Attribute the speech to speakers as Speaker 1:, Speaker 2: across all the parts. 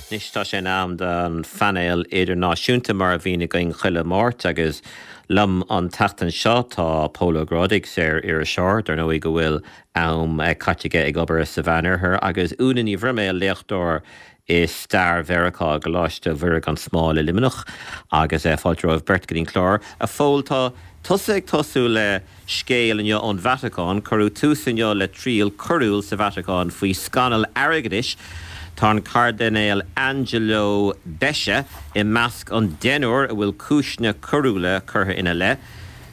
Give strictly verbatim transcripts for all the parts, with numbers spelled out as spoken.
Speaker 1: Anois tá sé in am don phainéal idirnáisiúnta mar a bhíonn againn chuile Mháirt agus liom an tseachtain seo tá Pól Ó Grádaigh saor-iriseoir, dar ndóigh go bhfuil am caite aige ag obair sa Mheánoirthear agus Úna Ní Bhroiméil léachtóir i stair Mheiriceá i gColáiste Mhuire gan Smál i Luimneach agus fáilte romhaibh beirt go dtí an clár. A Phóil tá tusa ag tosú le scéal inniu ón Vatacáin, cuireadh tús inniu le triail coiriúil sa Vatacáin faoi scannal airgeadais. Tá an Cairdinéal Angelo Becciu i measc an deichniúr a bhfuil cúiseanna coiriúla curtha ina leith.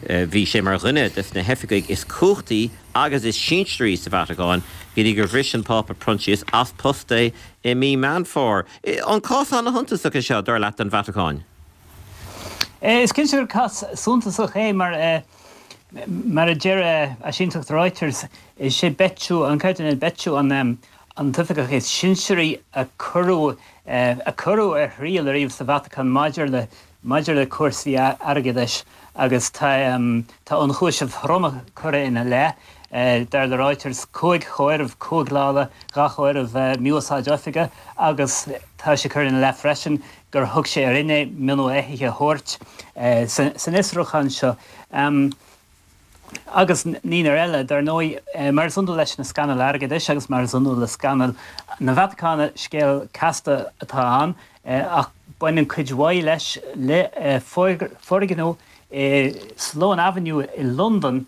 Speaker 1: Bhí sé mar dhuine de na hoifigigh is cumhachtaí agus is sinsearaí sa Vatacáin, go dtí gur bhris an Pápa Proinsias as post é i mí Meán Fómhair. An cás an-shuntasach é seo dar leat don Vatacáin?
Speaker 2: Is cinnte gur cás suntasach é mar mar a deir áisínteacht Reuters is é Becciu an Cairdinéal Becciu an an t-oifigeach is sinsearaí a cuireadh a cuireadh ar thriail ariamh sa Vatacáin maidir le maidir le cúrsaí airgeadais agus tá tá ionchúisimh throma curtha ina leith dar le Reuters cúig chomhaireamh cúig lá dhá chomhaireamh mí-úsáid oifige agus tá sé curtha ina leith freisin gur thug sé ar fhinné mionn éithigh a thabhairt san fhiosrúchán seo. Um, agus naonúr eile dar ndóigh mar is iondúil leis na scannail airgeadais agus mar is iondúil le scannail na Vatacáine scéal casta atá ann ach baineann cuid mhaith leis le foirgneamh i Sloane Avenue i Londain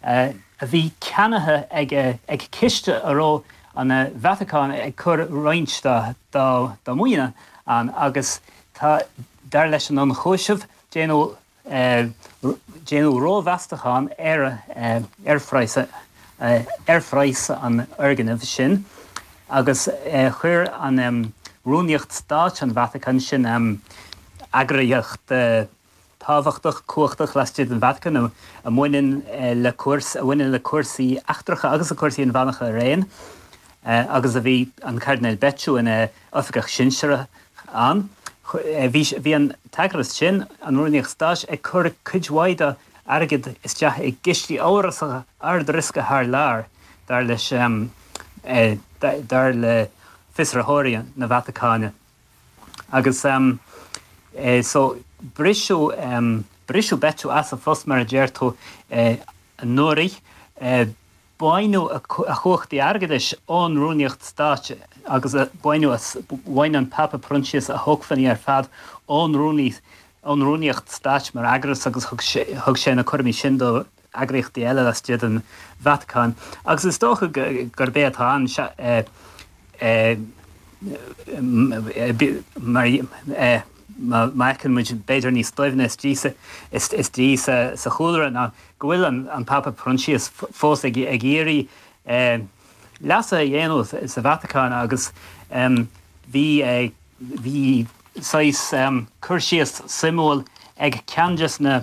Speaker 2: a bhí ceannaithe ag ag ciste a raibh an Vatacáin ag cur roinnt dá dá dá maoine ann agus tá dar leis an ionchúiseamh déanadh déanadh rómheastachán ar ar phraghas ar phraghas an fhoirgnimh sin agus chuir an Rúnaíocht Stáit an Vatacáin sin eagraíocht tábhachtach cumhachtach laistigh den Vatacáin a bhaineann le cúrs a bhaineann le cúrsaí eachtracha agus a cúrsaí inmheánacha araon agus a bhí an Cairdinéal Becciu ina oifigeach sinsearach ann. Bhí an t-eagras sin an Rúnaíocht Stáit ag cur cuid mhaith dá airgead isteach i gcistí amhrasacha ardriosca thar lear dar leis dar le fiosraitheoirí na Vatacáine. Agus um, so briseadh um, briseadh Becciu as a phost mar a deir tú anuraidh baineadh a chumhachtaí airgeadais ón Rúnaíocht Stáit agus baineadh bhain an Pápa Proinsias a shócmhainní ar fad ón rúnaí ón Rúnaíocht Stáit mar eagras agus thug sé na cúraimí sin do eagraíochtaí eile laistigh den Vatacáin. Agus is dócha gurb é atá ann mar má fheiceann muid b'fhéidir níos doimhne istigh sa chúlra ná go bhfuil an, an Pápa Proinsias fós ag, ag iarraidh leasa a dhéanamh sa Vatacáin agus um, bhí bhí saghas um, cur síos suimiúil ag ceann de na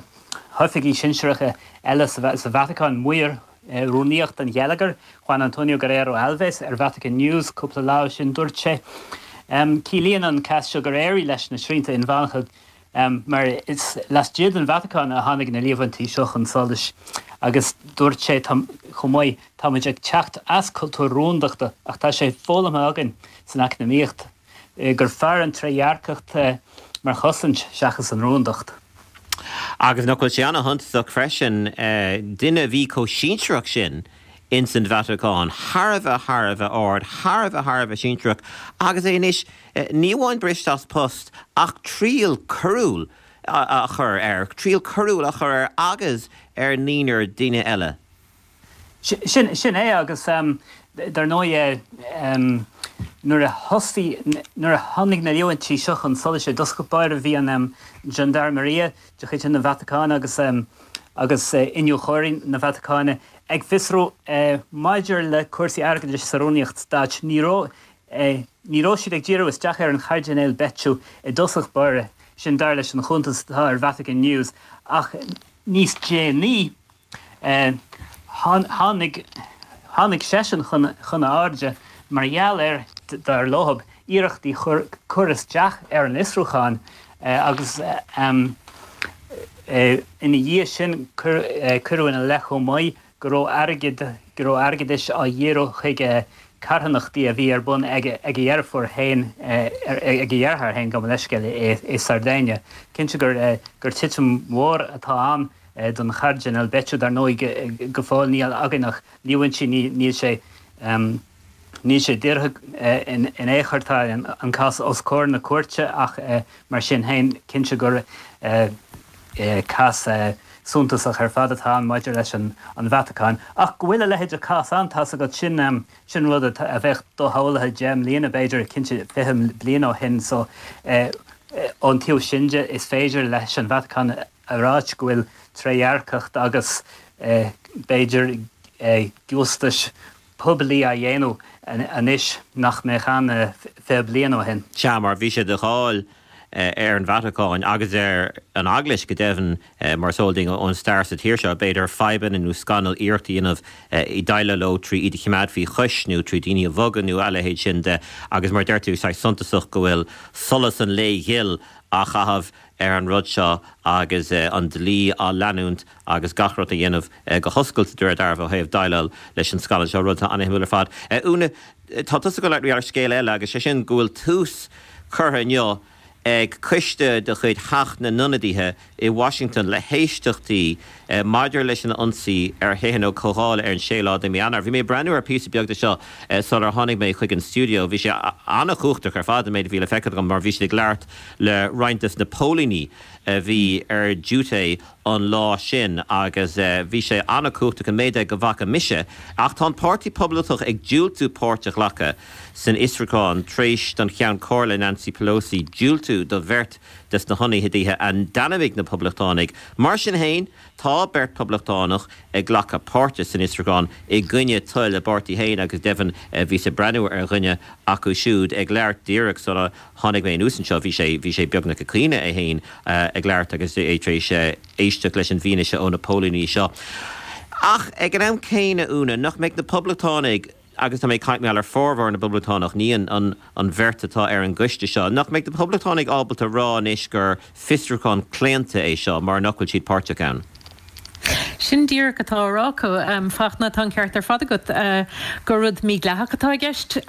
Speaker 2: hoifigigh sinsearacha eile sa, sa Vatacáin maor rúnaíocht an gheilleagair Juan Antonio Guerrero Alves ar Vatican News cúpla lá sin dúirt sé. Um, Ciallaíonn an cás seo gur éirigh leis na srianta inmheánacha um, mar is laistigh den Vatacáin a tháinig na líomhaintí seo chun solais agus dúirt sé chomh maith táimid ag teacht as cultúr rúndachta ach tá sé foghlamtha againn san eacnamaíocht gur fearr an trédhearcacht mar chosaint seachas an rúndacht.
Speaker 1: Agus nach bhfuil sé an-shuntasach freisin duine a bhí chomh sinsearach sin in san Vatacáin, thar a bheith thar a bheith ard, thar a bheith thar a bheith sinsearach, agus é anois ní amháin briste as post ach triail coiriúil a chur air, triail coiriúil a chur air agus ar naonúr duine eile.
Speaker 2: Sin sin é agus um, dar ndóigh um, nuair a thosaigh nuair a tháinig na líomhaintí seo chun solais i dtosach báire bhí an um, Gendarmeria de chuid na Vatacáin agus um, agus uh, iniúchóirí na Vatacáine ag fiosrú uh, maidir le cúrsaí airgeadais sa Rúnaíocht Stáit ní raibh uh, ní raibh siad ag díriú isteach ar an Chairdinéal Becciu i dtosach báire sin dar leis an chuntas atá ar Vatican News ach níos déanaí uh, tháinig tháinig seisean chun chun airde mar gheall ar dar leo iarrachtaí chur isteach ar an fhiosrúchán agus um, ina dhiaidh sin cuireadh ina leith chomh maith go raibh airgead go raibh airgeadais á dhíriú chuig carthanachtaí a bhí ar bun ag a dheirfiúr féin, ag a dheartháir féin, gabh mo leithscéal, i Sardinia. Cinnte gur gur titim mhór atá ann don Chairdinéal Becciu. Dar ndóigh, go fóill níl againn ach líomhaintí, níl sé níl sé díortha in aon chor, tá an cás os comhair na cúirte, ach mar sin féin, cinnte gur cás suntasach ar fad atá ann maidir leis an Vatacáin. Ach go bhfuil a leithéid de chás ann, tá's agat, sin sin rud a bheadh doshamhlaithe deich mbliana, b'fhéidir, cinnte fiche bliain ó shin. So ón taobh sin de, is féidir leis an Vatacáin a ráit go bhfuil trédhearcacht agus b'fhéidir giústais poiblí á dhéanamh anois nach mbeadh ann fiche bliain ó shin.
Speaker 1: Sea, mar bhí sé de cháil ar an Vatacáin agus ar an Eaglais go deimhin, mar is eol dúinn ón stair sa tír seo, b'fhéidir, fadhbanna nó scannail iarracht a dhéanamh i déileáil leo trí iad a choimeád faoi chois nó trí daoine a bhogadh nó a leithéid sin de. Agus mar deir tú, saghas suntasach go bhfuil solas an lae ghil á chaitheamh ar an rud seo agus an dlí á leanúint agus gach rud a dhéanamh go hoscailte de réir dealraimh ó thaobh déileáil leis an scannal seo, rud atá an-shuimiúil ar fad. Úna, tá tusa ag labhairt ar scéal eile agus sé sin go bhfuil tús curtha inniu ag coiste de chuid Theach na nIonadaithe i Washington le héisteachtaí maidir leis an ionsaí ar Thithe na Comhdhála ar an séú lá de mhí Eanáir. Bhí mé ag breathnú ar phíosa beag de seo sular tháinig mé chuig an stiúideo. Bhí sé an-chumhachtach ar fad an méid a bhí le feiceáil agam mar bhí siad ag labhairt le roinnt des na póilíní a bhí ar diúité an lá sin agus bhí sé an-chumhachtach an méid go bhfaca mise. Ach tá an Páirtí Poblachtach ag diúltú páirt a ghlacadh san fhiosrúchán tar éis don Cheann Comhairle Nancy Pelosi diúltú do bheirt des na hionadaithe a d'ainmnigh na Poblachtánaigh. Mar sin féin, tá beirt Poblachtánach ag glacadh páirte san fhiosrúchán i gcoinne toil a bpáirtí féin agus deimhin bhíos ag breathnú ar dhuine acu siúd ag labhairt díreach sula tháinig mé anuas anseo. Bhí sé bhí sé beagnach ag caoineadh é féin ag labhairt agus é tar éis éisteacht leis an bhfianaise ó na póilíní seo. Ach ag an am céanna, Úna, nach mbeidh na Poblachtánaigh, agus tá mé ag caint mar gheall ar formhór na bPoblachtánach, ní an an an bheirt atá ar an gcoiste seo, nach mbeidh na Poblachtánaigh ábalta rá anois gur fiosrúchán claonta é seo mar nach bhfuil siad páirteach ann?
Speaker 3: Sin díreach atá á rá acu, Fachtna, tá an ceart ar fad agat gur rud mídhleathach atá i gceist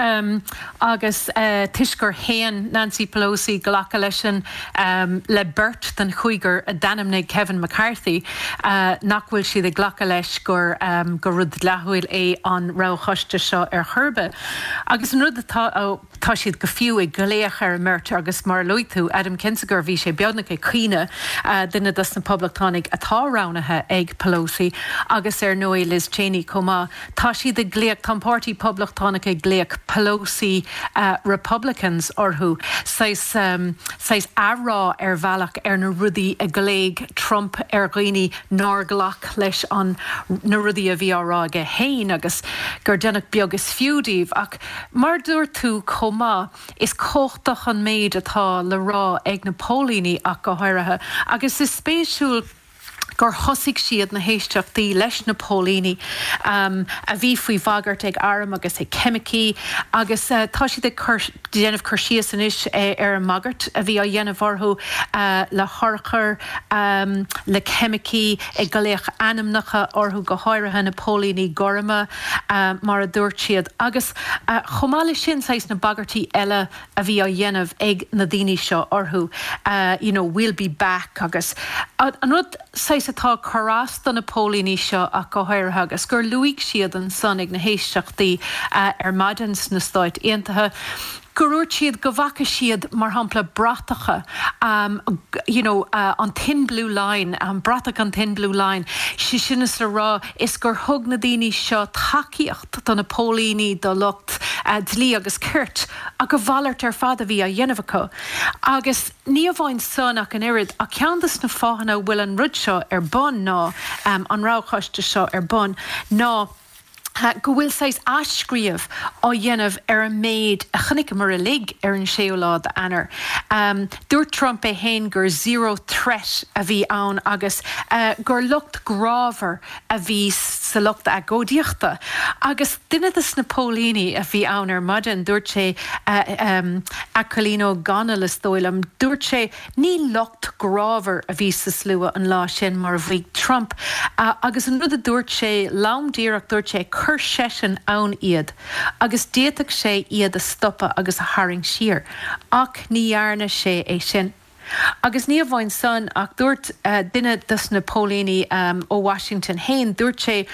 Speaker 3: agus toisc gur shéan Nancy Pelosi glacadh leis an le beirt den chúigear a d'ainmnigh Kevin McCarthy, nach bhfuil siad ag glacadh leis gur gur rud dleathúil é an roghchoiste seo ar chor ar bith. Agus an rud atá tá siad go fiú ag glaoch ar an mbeirt agus mar a luaigh tú, Adam Kinzinger, bhí sé beagnach ag caoineadh, duine dos na Poblachtánaigh atá roghnaithe ag Pelosi agus ar ndóigh Liz Cheney chomh maith. Tá siad ag glaoch, tá an Páirtí Poblachtánach ag glaoch Pelosi Republicans orthu, saghas saghas athrá ar bhealach ar na rudaí a ghlaoigh Trump ar dhaoine nár ghlac leis an na rudaí a bhí á rá aige féin agus gur deineadh beag is fiú díobh. Ach mar dúirt tú chomh maith, is cumhachtach an méid atá le rá ag na póilíní ach go háirithe agus is spéisiúil gur thosaigh siad na héisteachtaí leis na póilíní a bhí faoi bhagairt ag airm agus ag ceimicí agus tá siad ag cur déanamh cur síos anois ar an mbagairt a bhí á dhéanamh orthu le hurchair, le ceimicí, ag glaoch ainmneacha orthu, go háirithe na póilíní gorma mar a dúirt siad. Agus chomh maith leis sin, saghas na bagairtí eile a bhí á dhéanamh ag na daoine seo orthu, you know, we'll be back agus an rud saghas atá ag cur as do na póilíní seo ach go háirithe agus gur luaigh siad ansan ag na héisteachtaí ar maidin sna Stáit Aontaithe, gur dhúirt siad go bhfaca siad, mar shampla, bratacha, you know, an thin blue line, an bratach an thin blue line, sé sin is le rá is gur thug na daoine seo tacaíocht do na póilíní, do lucht dlí agus cirt, ach a mhalairt ar fad a bhí á dhéanamh acu. Agus ní amháin san ach an oiread, ach ceann de na fáthanna a bhfuil an rud seo ar bun ná, an roghchoiste seo ar bun, ná, go bhfuil saghas athscríobh á dhéanamh ar an méid a chonaiceamar uilig ar an séú lá d'Eanáir. Dúirt Trump é féin gur zero threat a bhí ann agus gur lucht grámhar a bhí sa lucht agóidíochta. Agus duine de na póilíní a bhí ann ar maidin, dúirt sé, Aquilino Gonell is dóigh liom, dúirt sé, Ní lucht grámhar a bhí sa slua an lá sin mar a mhaígh Trump. Agus an rud a dúirt sé lom díreach, dúirt sé, Chuir seisean ann iad agus d'fhéadfadh sé iad a stopadh agus a tharraingt siar, ach ní dhearna sé é sin. Agus ní amháin san ach dúirt duine dos na póilíní ó Washington féin, dúirt sé,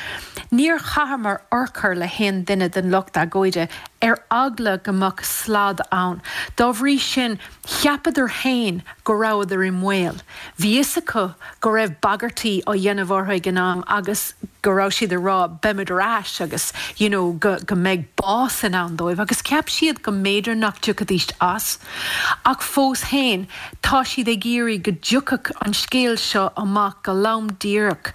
Speaker 3: Níor chaitheamar urchar le haon duine den lucht agóide ar eagla go mbeadh slad ann. Dá bhrí sin, cheapadar féin go rabhadar i mbaol. Bhí fhios acu go raibh bagairtí á dhéanamh orthu ag an am agus go raibh siad ag rá beimid ar ais agus you know go go mbeidh bás in ann dóibh agus cheap siad go mb'fhéidir nach dtiocfaidís as. Ach fós féin, tá siad ag iarraidh go dtiocfadh an scéal seo amach go lom díreach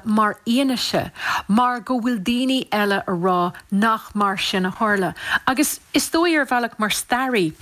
Speaker 3: mar fhianaise mar go bhfuil daoine eile a rá nach mar sin a tharla. Agus is dóigh ar bhealach mar staraí,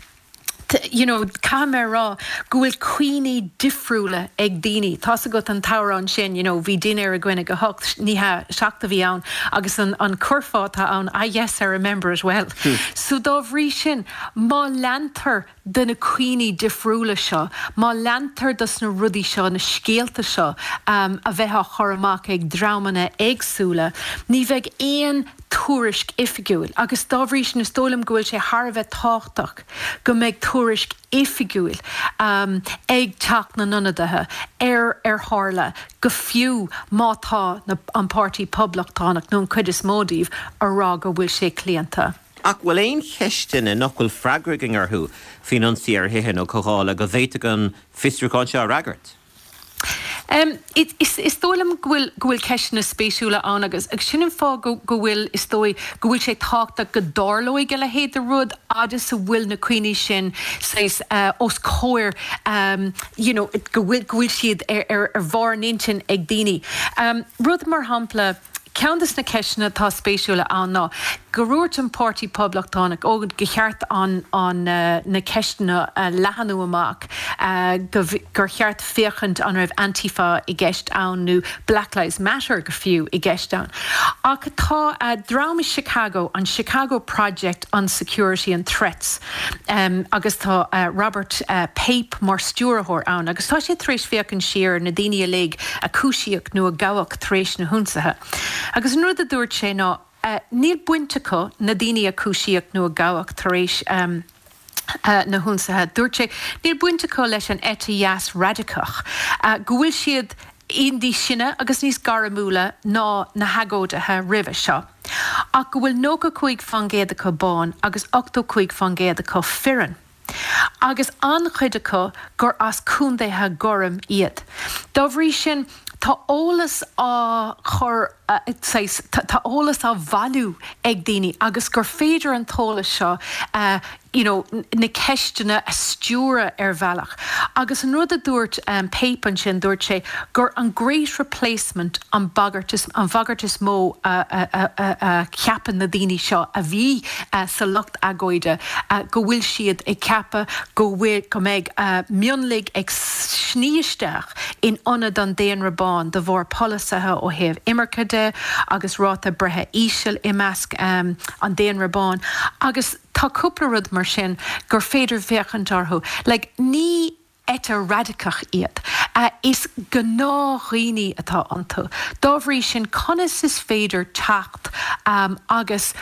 Speaker 3: you know, caithfidh mé a rá go bhfuil cuimhní difriúla ag daoine. Tá's agat an t-amhrán sin, you know, bhí dinnéar againn ag a hocht, ní hea, seacht a bhí ann agus an, an curfá atá ann, ah yes, I remember it well. So dá bhrí sin, má leantar de na cuimhní difriúla seo, má leantar dos na rudaí seo, na scéalta seo um, a bheith á chur amach ag dreamanna éagsúla, ní bheidh aon tuairisc oifigiúil agus dá bhrí sin is dóigh liom go bhfuil sé thar a bheith tábhachtach go mbeidh tuairisc oifigiúil um, ag Teach na nIonadaithe ar ar tharla go fiú má tá na, an Páirtí Poblachtánach nó an chuid is mó díobh a rá go bhfuil sé claonta.
Speaker 1: Ach bhfuil aon cheisteanna nach bhfuil freagra againn orthu faoin ionsaí ar thithe nó comhdhála go bhféadfadh an fiosrúchán seo a fhreagairt?
Speaker 3: Um, is, is dóigh liom go bhfuil go bhfuil ceisteanna spéisiúla ann agus agus sin an fáth go, go bhfuil is dóigh go bhfuil sé tábhachtach go dtarlóidh a leithéid de rud agus a bhfuil na cuimhní sin saghas uh, os comhair um, you know, go bhfuil go bhfuil siad ar, ar, ar bharr an intinn ag daoine. Um, rud mar shampla, Ceann de na ceisteanna atá spéisiúla ann ná gur dhúirt an Páirtí Poblachtánach ó gur cheart an, an uh, na ceisteanna uh, leathnú amach uh, go, gur cheart féachaint an raibh Antifa i gceist ann nó Black Lives Matter go fiú i gceist ann. Ach tá uh, dream i Chicago an Chicago Project on Security and Threats um, agus tá uh, Robert uh, Pape mar stiúrthóir ann agus tá sé tar éis féachaint siar na daoine uilig a cúisíodh nó a gabhadh tar éis na hionsaithe. Agus an rud a dúirt sé ná uh, níl baint acu na daoine a cúisíodh nó a gabhadh tar éis um, uh, na hionsaithe. Dúirt sé níl baint acu leis an eite dheas radacach, uh, go bhfuil siad níos sine agus níos gairmiúla ná na hagóidithe roimhe seo. Ach go bhfuil nócha cúig faoin gcéad acu bán agus ochtó cúig faoin gcéad acu fireann. Agus an-chuid acu gur as contaetha gorm iad. Dá bhrí sin tá eolas á chur tá eolas á bhailiú ag daoine agus gur féidir an t-eolas seo uh, you know, na ceisteanna a stiúradh ar bhealach. Agus an rud a dúirt um, Pape ansin dúirt sé gur an great replacement an bagairt is an bhagairt is mó a, a, a, a, a cheapann na daoine seo a bhí uh, sa lucht agóide uh, go bhfuil siad ag ceapadh go bhfuil go mbeidh uh, mionlaigh ag sní isteach in ionad an daonra bán de bharr polasaithe ó thaobh imirce de agus ráta breithe íseal i measc um, an daonra bán agus tá cúpla rud mar sin gur féidir féachaint orthu. Like, ní eite radacach iad. Uh, is gnáthdhaoine atá iontu. Dá bhrí sin conas is féidir teacht um, agus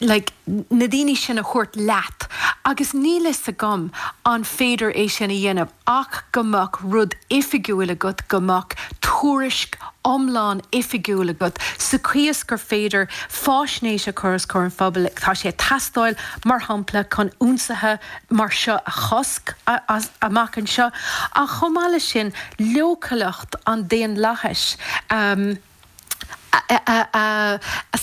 Speaker 3: like, na daoine sin a thabhairt leat, agus níl a fhios agam an féidir é sin a dhéanamh ach go mbeadh rud oifigiúil agat go mbeadh tuairisc iomlán oifigiúil agat sa chaoi is gur féidir faisnéis a chur os comhair an phobail tá sé ag teastáil mar shampla chun ionsaithe mar seo a chosc amach anseo ach chomh maith leis sin leochaileacht an daonlathais um, a, a, a, a,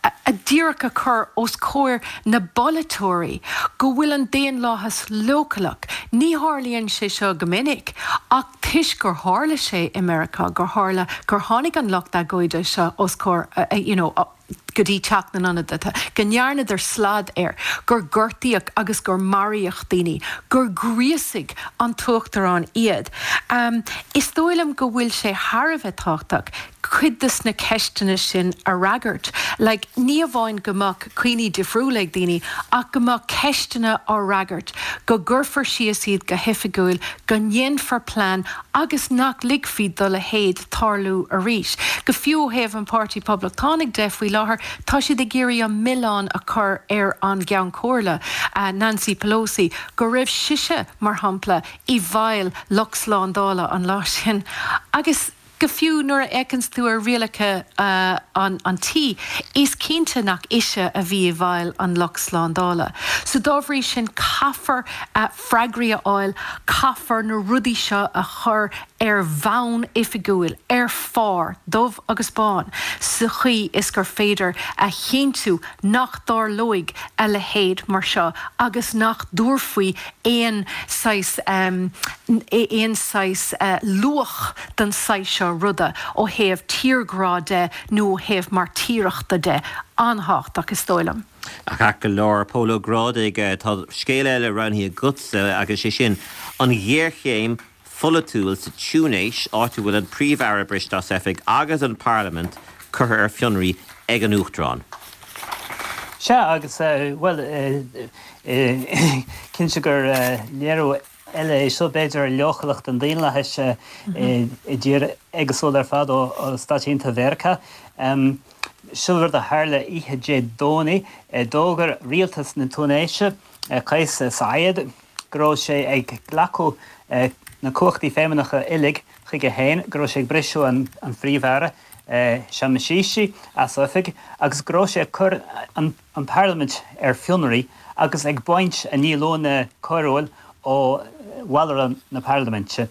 Speaker 3: a, a díreach a chur os comhair na bpolaiteoirí go bhfuil an daonlathas leochaileach. Ní tharlaíonn sé seo go minic ach toisc gur tharla sé i Meiriceá gur tharla gur tháinig an lucht agóide seo os comhair uh, you know, uh, go dtí Teach na nIonadaithe, go ndearnadar slad air, gur gortaíodh agus gur maraíodh daoine, gur ghríosaigh an t-uachtarán iad. Um, is dóigh liom go bhfuil sé thar a bheith tábhachtach cuid de na ceisteanna sin a fhreagairt. Like, ní amháin go mbeadh cuimhní difriúla ag daoine ach go mbeadh ceisteanna á bhfreagairt, go gcuirfear síos iad go hoifigiúil, go ndéanfar plean agus nach ligfí dá leithéid tarlú arís. Go fiú ó thaobh an Páirtí Poblachtánaigh de faoi láthair, tá siad ag iarraidh an milleán a chur ar an gCeann Comhairle, Nancy Pelosi, go raibh sise, mar shampla, i bhfeighil lucht slándála an lá sin. Agus go fiú nuair a fhéachanns tú ar rialacha an an tí, is cinnte nach ise a bhí i bhfeighil an lucht slándála. So dá bhrí sin caithfear freagraí a fháil, caithfear na rudaí seo a chur ar bhonn oifigiúil, ar phár, dubh agus bán, sa chaoi is gur féidir a chinntiú nach dtarlóidh a leithéid mar seo agus nach dtabharfaí aon saghas aon saghas luach don saghas seo ruda ó thaobh tírghrá de nó ó thaobh mairtíreachta de. An-thábhachtach, is dóigh liom.
Speaker 1: Ach go leor, Pól Ó Grádaigh, tá scéal eile roghnaithe agatsa agus sé sin an ghéarchéim pholaitiúil sa Túinéis, áit a bhfuil an Príomh-Aire briste as oifig agus an Parlaimint curtha ar fionraí ag an Uachtarán.
Speaker 2: Sea, agus, bhuel, cinnte gur léiriú eile é seo, b'fhéidir, ar leochaileacht an daonlathais i dtír éagsúil ar fad ó Stáit Aontaithe Mheiriceá. Seo rud a tharla oíche Dé Domhnaigh. D'fhógair rialtas na Túinéise, Kais Saied, go raibh sé ag glacadh na cumhachtaí feidhmeannacha uilig chuige féin, go raibh sé ag briseadh an Phríomh-Aire, Hichem Mechichi, as oifig agus go raibh sé ag cur an Pharlaimint ar fionraí agus ag baint a ndíolúine coiriúil ó bhallra na Parlaiminte.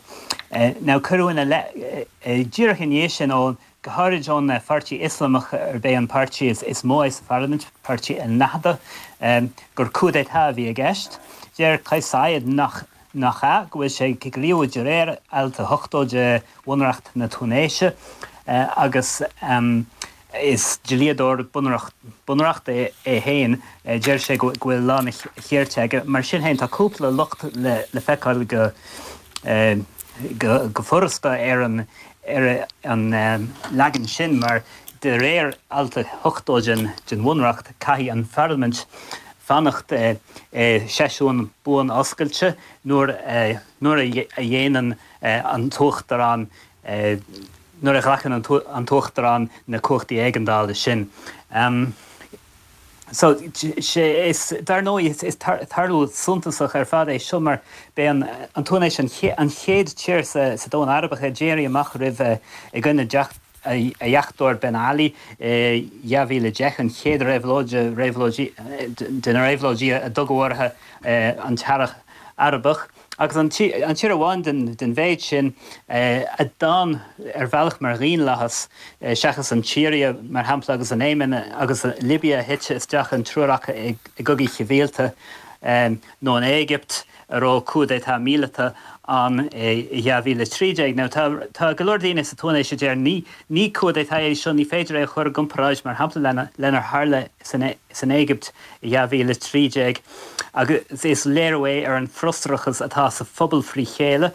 Speaker 2: Now cuireadh ina leith díreach ina dhiaidh sin ó, go háirid ón pháirtí Ioslamach arb é an páirtí is mó é sa Pharlaimint, páirtí Al Nahda, gur coup d'état a bhí i gceist. Deir Kais Saied nach nach ea, go bhfuil sé ag gníomhú de réir Alt a hochtó de Bhunreacht na Túinéise agus is dlíodóir bunreachta é féin. Deir sé go bhfuil lán a chirt aige. Mar sin féin, tá cúpla locht le feiceáil go go furasta ar an ar an leagan sin mar de réir Alt a hochtó den Bhunreacht, caithfidh an Pharlaimint fanacht i seisiún buan oscailte nuair nuair a dhéanann an tUachtarán nuair a ghlacann an tUachtarán na cumhachtaí éigeandála sin. So, sé is, dar ndóigh, is tarlú suntasach ar fad é seo mar b'é an Túinéis an chéad tír sa domhan Arabach a d'éirigh amach roimh i gcoinne a dheachtóir Ben Ali i dhá mhíle a deich, an chéad réabhlóid de na réabhlóidí a d'fhógair orthu an tEarrach Arabach. Agus an tír amháin den mhéid sin a d'fhan ar bhealach mar dhaonlathas, seachas an tSiria, mar shampla, agus an Éimin agus Libia a thit isteach an triúr acu i gcogaí sibhialta, nó an Éigipt a raibh coup d'état míleata ann i dhá mhíle a trí déag. Now tá tá go leor daoine sa Túinéis a deir ní ní coup d'état é seo, ní féidir é a chur i gcomparáid, mar shampla, lenar tharla san san Éigipt i dhá mhíle a trí déag. Agus is léiriú é ar an bhfrustrachas atá sa phobal frí chéile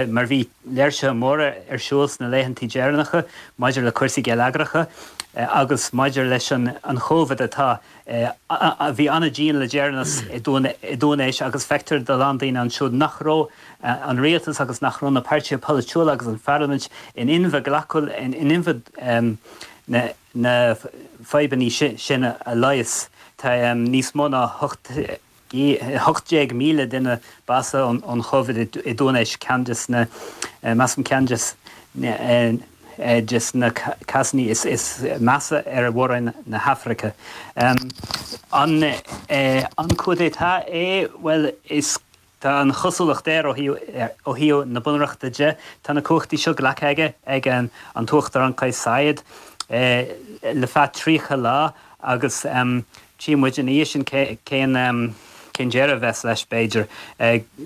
Speaker 2: mar bhí léirsithe móra ar siúl sna laethantaí deireanacha maidir le cúrsaí geilleagracha agus maidir leis an an Chóivid atá a bhí an-dian le deireanas i dTúinéis agus feictear do a lán daoine ansiúd nach raibh an rialtas agus nach raibh na páirtithe polaitiúla agus an pharlaimint in inmhe glacadh in inmhe na na fadhbanna sin a leigheas. Tá níos mó ná hocht hocht déag míle duine básaithe ón Chóivid i dTúinéis, ceann des na, measaim ceann des des na cásanna is measa ar mhór-roinn na hAfraice. An an coup d'état é? Bhuel, is tá an chosúlacht air ó ó thaobh na bunreachta de. Tá na cumhachtaí seo glactha aige ag an an tUachtarán Kais Saied le feadh tríocha lá agus tchí muid ina dhiaidh sin cén cén deireadh a bheas leis, b'fhéidir.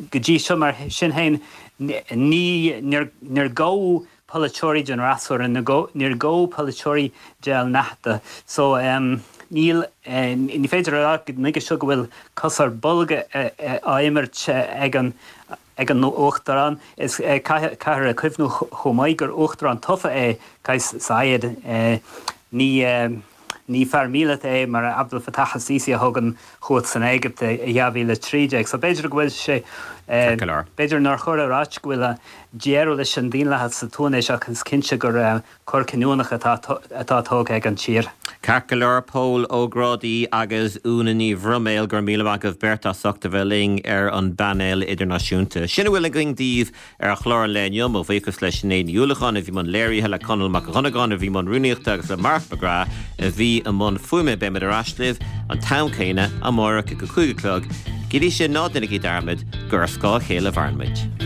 Speaker 2: Go dtí seo, mar sin féin, ní níor níor gabhadh polaiteoirí den fhreasúra, níor gabhadh polaiteoirí de Al Nahda. So níl, ní féidir a rá go nuige seo go bhfuil cos ar bolg á imirt ag an ag an Uachtarán. Is caithfear a chuimhniú chomh maith gur Uachtarán tofa é Kais Saied. Ní Ní fear míleata é mar Abdel Fattah al-Sisi a thug an chumhacht san Éigipt i dhá mhíle a trí déag. So b'fhéidir go bhfuil sé, b'fhéidir nár chóir a ráit go bhfuil deireadh leis an daonlathas sa Túinéis ach is cinnte gur cor cinniúnach atá atá tógtha ag an tír.
Speaker 1: Ceart go leor, Pól Ó Grádaigh agus Úna Ní Bhroiméil, go raibh míle maith agaibh beirt as ucht a bheith linn ar an bpainéal idirnáisiúnta. Sin a bhfuil againn daoibh ar chlár an lae inniu. Mo bhuíochas le Sinéad Ní Uallacháin a bhí i mbun léirithe, le Conall Mac Dhonnagáin a bhí i mbun rúnaíochta agus le Mark McGrath a bhí i mbun fuaime. Beimid ar ais libh an t-am céanna amárach ag a cúig a chlog. Go dtí sin, ná déanaigí dearmad gur ar scáth a chéile a mhaireann muid.